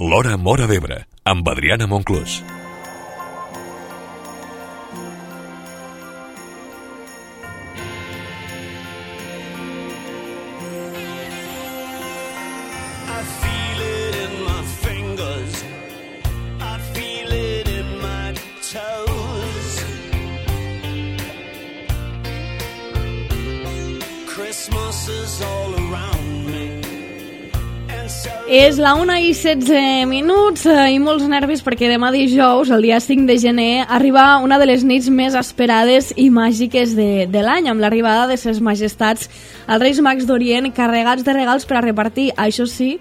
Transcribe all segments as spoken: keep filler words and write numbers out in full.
L'Hora Móra d'Ebre, amb Adriana Monclús. És la una i setze minuts i molts nervis perquè demà dijous, el dia cinc de gener, arriba una de les nits més esperades i màgiques de, de l'any, amb l'arribada de ses majestats als Reis Mags d'Orient carregats de regals per a repartir, això sí,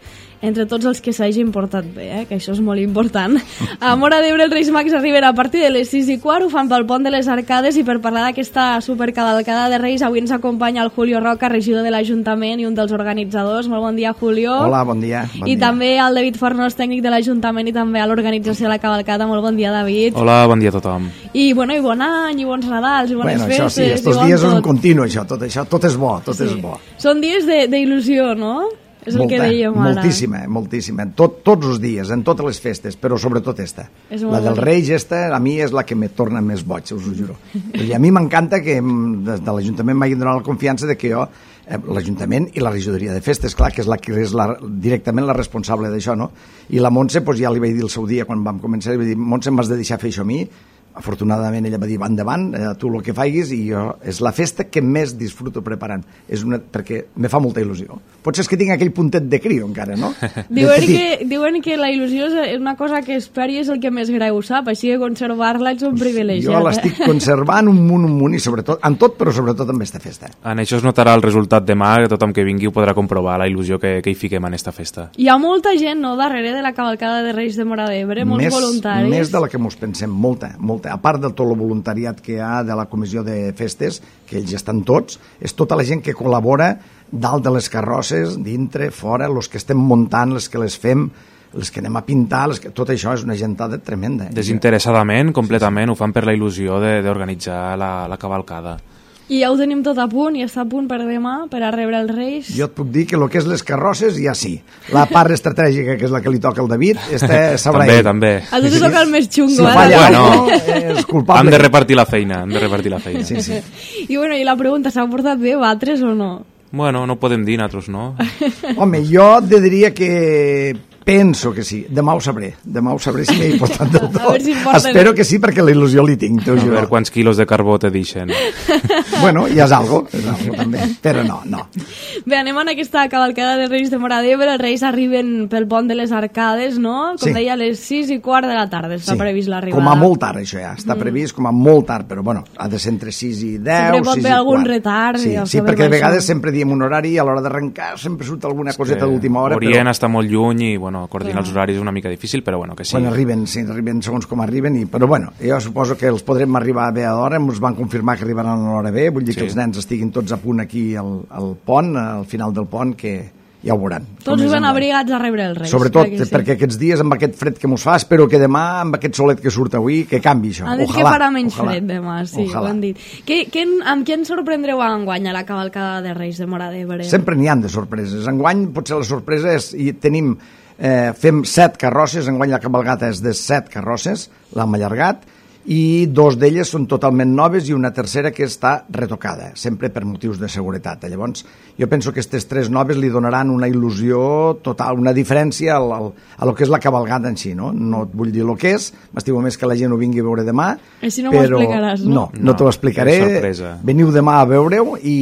entre tots els que s'hagin portat bé, eh? Que això és molt important. A Móra d'Ebre els Reis Mags arriben a partir de les sis i quart, ho fan pel pont de les Arcades, i per parlar d'aquesta supercavalcada de Reis avui ens acompanya el Julio Roca, regidor de l'Ajuntament i un dels organitzadors. Molt bon dia, Julio. Hola, bon dia. Bon I dia. també el David Fornós, tècnic de l'Ajuntament i també a l'organització de la cavalcada. Molt bon dia, David. Hola, bon dia a tothom. I, bueno, i bon any, i bons Nadals, i bones bueno, festes. Això sí, estos dies és un continu, això, tot això, tot és bo, tot sí. és bo. Són dies d'il·lusió, no? És Molta, el que dèiem ara. moltíssima, moltíssima. Tot, tots els dies, en totes les festes, però sobretot esta. La del Reis, esta, a mi és la que me torna més boig, us ho juro. I a mi m'encanta que des de l'Ajuntament m'hagin donat la confiança de que jo, eh, l'Ajuntament i la regidoria de festes, clar, que és la que és la, directament la responsable d'això, no? I la Montse, doncs ja li vaig dir el seu dia, quan vam començar, li vaig dir, Montse, m'has de deixar fer això a mi. Afortunadament ella va dir, va endavant, eh, tu el que faiguis, i jo, és la festa que més disfruto preparant, és una, perquè me fa molta il·lusió. Potser és que tinc aquell puntet de crio encara, no? Diuen que, diuen que la il·lusió és una cosa que esperi és el que més greu sap, així que conservar-la ets un privilegiat. Jo l'estic eh? conservant un munt, un munt, i sobretot, en tot, però sobretot amb aquesta festa. En això es notarà el resultat demà, que tothom que vingui ho podrà comprovar, la il·lusió que, que hi fiquem en esta festa. Hi ha molta gent, no?, darrere de la cavalcada de Reis de Móra d'Ebre, molts més, voluntaris. Més de la que mos pensem, molta, molta. A part de tot el voluntariat que hi ha de la comissió de festes, que ells estan tots, és tota la gent que col·labora dalt de les carrosses, dintre, fora, els que estem muntant, les que les fem, les que anem a pintar, les que... tot això és una gentada tremenda. Eh? Desinteressadament, completament, ho fan per la il·lusió d'organitzar la, la cavalcada. I ja ho tenim tot a punt, i està a punt per demà, per a rebre els Reis. Jo et puc dir que el que és les carrosses ja sí. La part estratègica, que és la que li toca al David, este sabrà també, ell. també. A tu te toca el més xungo, si eh? falla, bueno, és culpable. Hem de repartir la feina, hem de repartir la feina. Sí, sí. I, bueno, i la pregunta, s'ha portat bé batres o no? Bueno, no podem dir nosaltres, no? Home, jo te diria que penso que sí. Demà ho sabré. Demà ho sabré si m'he portat del tot. Si porten... Espero que sí, perquè la il·lusió li tinc. A veure quants quilos de carbó te deixen. Bueno, ja és algo, és algo també. Però no, no. Bé, anem en aquesta cavalcada de Reis de Móra d'Ebre. Els Reis arriben pel pont de les Arcades, no? Com sí. deia, a les sis i quart de la tarda està sí. previst l'arribada. Com a molt tard, això ja. Està previst com a molt tard, però bueno, ha de ser entre sis i deu, sempre pot sis haver i algun quart. retard. Sí, ja sí perquè de això. vegades sempre diem un horari i a l'hora d'arrencar sempre surt alguna coseta d'última hora. Orient però... està molt lluny i, bueno, coordinar Clar. els horaris és una mica difícil, però bueno, que sí. Quan arriben, sí, arriben segons com arriben, i, però bueno, jo suposo que els podrem arribar bé a l'hora, ens van confirmar que arribaran a l'hora bé, vull dir sí. que els nens estiguin tots a punt aquí al, al pont, al final del pont, que ja ho veuran. Tots ben abrigats a rebre els Reis. Sobretot sí. perquè aquests dies, amb aquest fred que mos fa, espero que demà, amb aquest solet que surt avui, que canvi això. Han dit ojalà, que farà menys ojalà, fred demà, sí, ojalà. ho han dit. Que, que, amb què ens sorprendreu enguany a la cavalcada de Reis de Móra d'Ebre? Sempre n'hi han de sorpreses. Enguany potser la sorpresa és, i tenim, eh, fem set carrosses, enguany la cavalgata és de set carrosses, l'hem allargat, i dos d'elles són totalment noves i una tercera que està retocada, sempre per motius de seguretat. Llavors, jo penso que aquestes tres noves li donaran una il·lusió total, una diferència al, al, a lo que és la cavalgada en si, no? No et vull dir el que és, m'estimo més que la gent ho vingui a veure demà, Així no però... m'ho explicaràs, no? No, no, no t'ho explicaré. Sorpresa. Veniu demà a veure-ho i,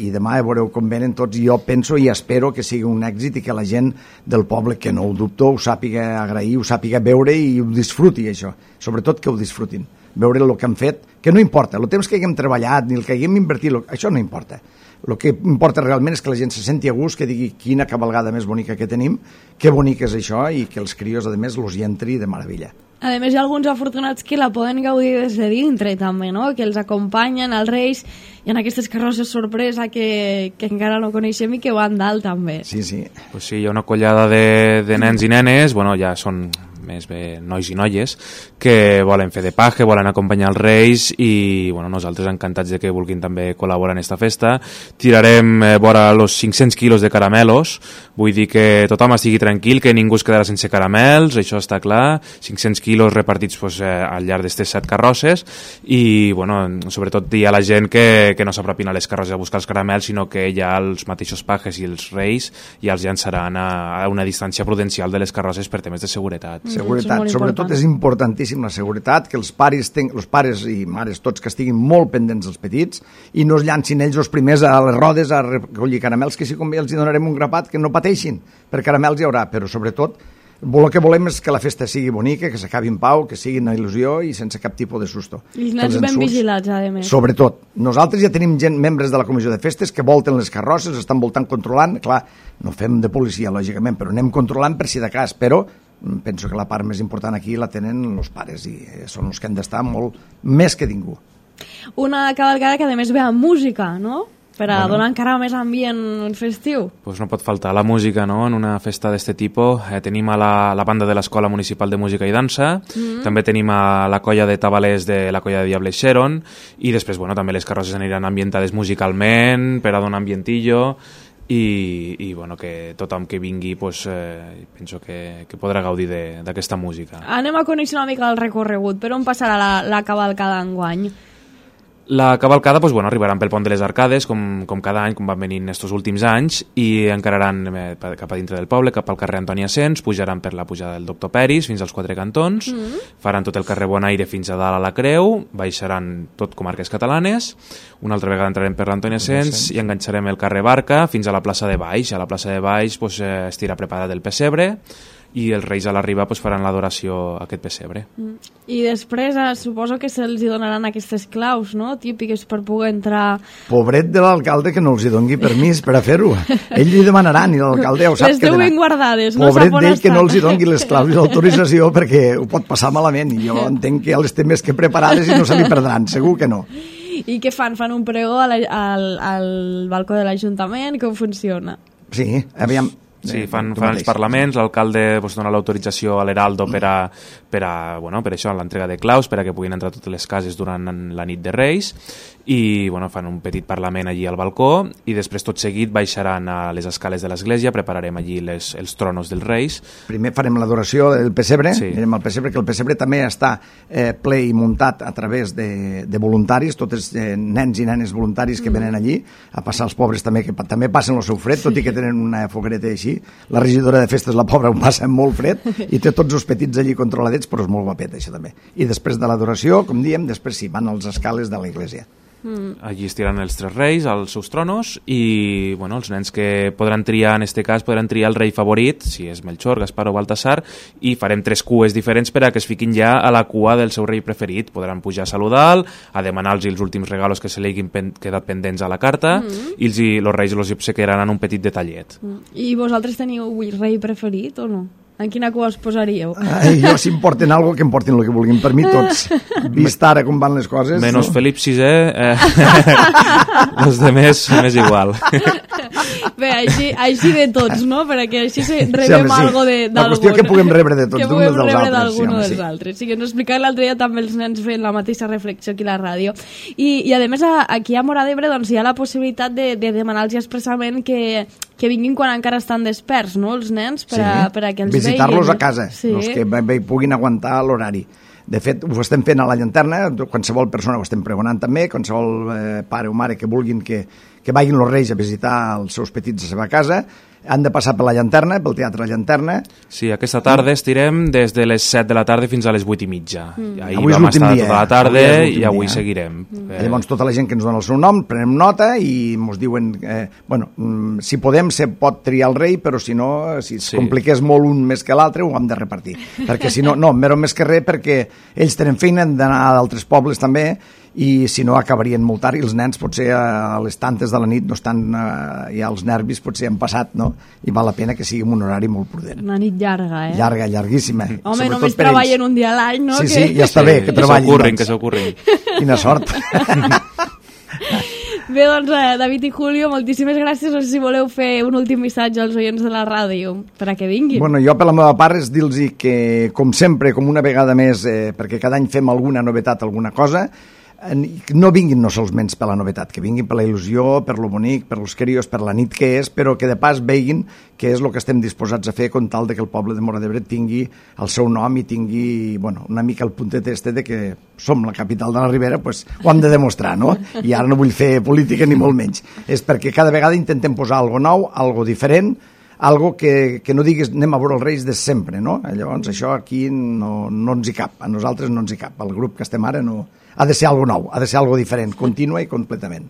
i demà veureu com venen tots. Jo penso i espero que sigui un èxit i que la gent del poble, que no ho dubto, ho sàpiga agrair, ho sàpiga veure i ho disfruti, això. Sobretot que ho disfrutin. Veure el que han fet, que no importa, el temps que haguem treballat ni el que haguem invertit, això no importa. El que importa realment és que la gent se senti a gust, que digui quina cavalgada més bonica que tenim, que bonic és això, i que els crios, a més, los hi entri de meravella. A més, hi ha alguns afortunats que la poden gaudir des de dintre, també, no? Que els acompanyen, els Reis, i en aquestes carrosses sorpresa que, que encara no coneixem i que van dalt, també. Sí, sí. Pues sí, hi ha una collada de, de nens i nenes, bueno, ja són més bé nois i noies, que volen fer de paje, volen acompanyar els Reis i bueno, nosaltres encantats de que vulguin també col·laborar en esta festa. Tirarem eh, vora els cinc-cents quilos de caramelos, vull dir que tothom estigui tranquil, que ningú es quedarà sense caramels, això està clar, cinc-cents quilos repartits pues, eh, al llarg d'aquestes set carrosses i bueno, sobretot dir a la gent que, que no s'apropin a les carrosses a buscar els caramels, sinó que ja els mateixos pajes i els Reis ja els llançaran a, a una distància prudencial de les carrosses per temes de seguretat. Seguretat, és sobretot és importantíssim la seguretat, que els pares, ten... els pares i mares tots que estiguin molt pendents dels petits i no es llancin ells els primers a les rodes a recollir caramels, que si convé els hi donarem un grapat, que no pateixin, per caramels hi haurà, però sobretot el que volem és que la festa sigui bonica, que s'acabi en pau, que sigui una il·lusió i sense cap tipus de susto. I els nens ben vigilats, a més. Sobretot. Nosaltres ja tenim gent, membres de la comissió de festes, que volten les carrosses, estan voltant controlant, clar, no fem de policia, lògicament, però anem controlant per si de cas, però penso que la part més important aquí la tenen els pares i són els que han d'estar molt més que ningú. Una cavalcada que a més ve amb música, no? Per a bueno. donar encara més ambient festiu. Pues no pot faltar la música, no?, en una festa d'este tipus. Eh, tenim a la, la banda de l'Escola Municipal de Música i Dansa, mm-hmm. també tenim a la colla de tabalers de la colla de Diable Xeron, i després, bueno, també les carrosses aniran ambientades musicalment, per a donar ambientillo, i, i bueno, que tothom que vingui pues, eh, penso que, que podrà gaudir d'aquesta música. Anem a conèixer una mica el recorregut. Per on passarà la, la cavalcada enguany? La cavalcada pues, bueno, arribaran pel Pont de les Arcades, com, com cada any, com van venint estos últims anys, i encararan eh, cap a dintre del poble, cap al carrer Antoni Asens, pujaran per la pujada del Doctor Peris fins als Quatre Cantons, mm. faran tot el carrer Bonaire fins a dalt a la Creu, baixaran tot comarques catalanes, una altra vegada entrarem per l'Antoni Asens i enganxarem el carrer Barca fins a la plaça de Baix. A la plaça de Baix pues, eh, estirà preparat el pessebre, i els Reis a l'arribar pues, faran l'adoració a aquest pessebre. Mm. I després eh, suposo que se'ls donaran aquestes claus, no?, típiques per poder entrar... Pobret de l'alcalde que no els hi doni permís per a fer-ho. Ell li demanaran i l'alcalde ja ho sap. Les teu ben guardades, no sap on estan. Pobret d'ell que no els hi doni les claus i l'autorització perquè ho pot passar malament, i jo entenc que ja les té més que preparades i no se li perdran, segur que no. I què fan? Fan un pregó al, al, al balcó de l'Ajuntament? Com funciona? Sí, aviam... Sí, fan, fan els parlaments, l'alcalde pues, dona l'autorització a l'Heraldo per a, per a, bueno, per això, l'entrega de claus, per a que puguin entrar totes les cases durant la nit de Reis, i bueno, fan un petit parlament allí al balcó, i després tot seguit baixaran a les escales de l'església, prepararem allí les, els tronos dels Reis. Primer farem l'adoració del pessebre, sí. anirem al pessebre, que el pessebre també està eh, ple i muntat a través de, de voluntaris, tots eh, nens i nenes voluntaris que venen allí, a passar els pobres també, que també passen el seu fred, tot i que tenen una foguereta així. La regidora de festes, la pobra, ho passa molt fred i té tots els petits allí controladets, però és molt guapet, això també. I després de l'adoració, com diem, després sí, van als escales de l'església. Mm. Allí estiran els tres reis als seus tronos i bueno, els nens que podran triar, en este cas podran triar el rei favorit, si és Melchor, Gaspar o Baltasar, i farem tres cues diferents per a que es fiquin ja a la cua del seu rei preferit. Podran pujar a saludar, a demanar-los els últims regalos que se li hagin pen quedat pendents a la carta, mm. i els, els reis els obsequiaran un petit detallet. Mm. I vosaltres teniu el rei preferit o no? En quina cua us posaríeu? Ai, jo, si em porten alguna cosa, que em portin el que vulguin. Per mi tots, vist ara com van les coses... Menos no? Felip sisè, eh, els de més, més igual. Bé, així, així de tots, no? Perquè així se rebem sí, algo de, d'algun. La qüestió que puguem rebre de tots, d'un dels altres. Que puguem rebre d'algun sí, dels sí. altres. Sí, que ens explicava l'altre dia també els nens fent la mateixa reflexió aquí a la ràdio. I, i a més, aquí a Móra d'Ebre doncs, hi ha la possibilitat de, de demanar-los expressament que, que vinguin quan encara estan desperts, no?, els nens, per a, sí. per a que els visitar-los veien. a casa, sí. els que bé, bé, puguin aguantar l'horari. De fet, ho estem fent a la llanterna, qualsevol persona ho estem pregonant també, qualsevol eh, pare o mare que vulguin que, que vagin els reis a visitar els seus petits a la seva casa, han de passar per la llanterna, pel Teatre Llanterna. Sí, aquesta tarda estirem des de les set de la tarda fins a les vuit i mitja. Mm. Ahir avui vam estar dia, tota la tarda avui i avui dia. seguirem. Mm. Eh. Llavors, tota la gent que ens dona el seu nom, prenem nota i ens diuen, eh, bueno, si podem, se pot triar el rei, però si no, si es sí. compliqués molt un més que l'altre, ho hem de repartir. Perquè si no, no, mero més que res, perquè ells tenen feina, han d'anar a d'altres pobles també, i si no acabarien molt tard i els nens potser a les tantes de la nit no estan eh, ja els nervis potser han passat, no? I val la pena que sigui un horari molt prudent. Una nit llarga, eh? Llarga, llarguíssima. Home, només treballen un dia a l'any, no? Sí, que... sí, ja està sí, bé que treballin. Que s'ocorrin, que s'ocorrin. Quina sort. Bé, doncs, eh, David i Julio, moltíssimes gràcies. No sé si voleu fer un últim missatge als oients de la ràdio per a que vinguin. Bueno, jo per la meva part és dir-los que, com sempre, com una vegada més, eh, perquè cada any fem alguna novetat, alguna cosa, no vinguin no solament per la novetat, que vinguin per la il·lusió, per lo bonic, per los querios, per la nit que és, però que de pas veguin que és el que estem disposats a fer con tal de que el poble de Móra d'Ebre tingui el seu nom i tingui, bueno, una mica el puntet este de que som la capital de la Ribera, pues ho hem de demostrar, no? I ara no vull fer política ni molt menys. És perquè cada vegada intentem posar algo nou, algo diferent, algo que, que no diguis anem a veure els Reis de sempre, no? Llavors això aquí no, no ens hi cap, a nosaltres no ens hi cap, el grup que estem ara no... Ha de ser algo nou, ha de ser algo diferent, contínua i completament.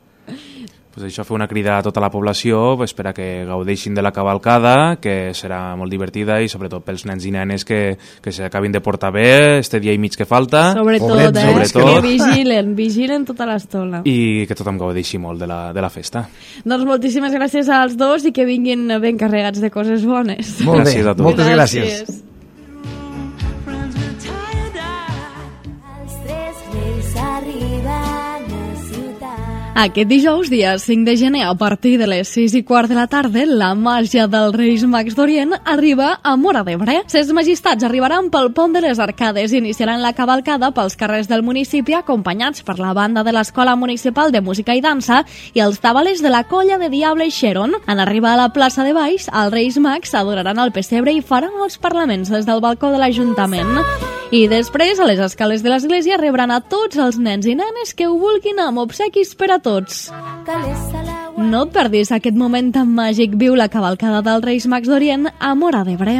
Pues això, fer una crida a tota la població pues, per a que gaudeixin de la cavalcada, que serà molt divertida i sobretot pels nens i nenes que, que s'acabin de portar bé este dia i mig que falta. Sobretot, Pobrets, eh? sobretot. Que vigilen, vigilen tota l'estona. I que tothom gaudeixi molt de la, de la festa. Doncs moltíssimes gràcies als dos i que vinguin ben carregats de coses bones. Molt Gràcies bé, a tu. moltes gràcies. gràcies. Aquest dijous, dia cinc de gener, a partir de les sis i quart de la tarda, la màgia dels Reis Mags d'Orient arriba a Móra d'Ebre. Ses majestats arribaran pel pont de les Arcades i iniciaran la cavalcada pels carrers del municipi acompanyats per la banda de l'Escola Municipal de Música i Dansa i els tabalers de la colla de Diable i Xeron. En arribar a la plaça de Baix, els Reis Mags adoraran el pessebre i faran els parlaments des del balcó de l'Ajuntament. I després, a les escales de l'església, rebran a tots els nens i nenes que ho vulguin amb obsequis per a tots. No et perdis aquest moment tan màgic. Viu la cavalcada dels Reis Mags d'Orient a Móra d'Ebre.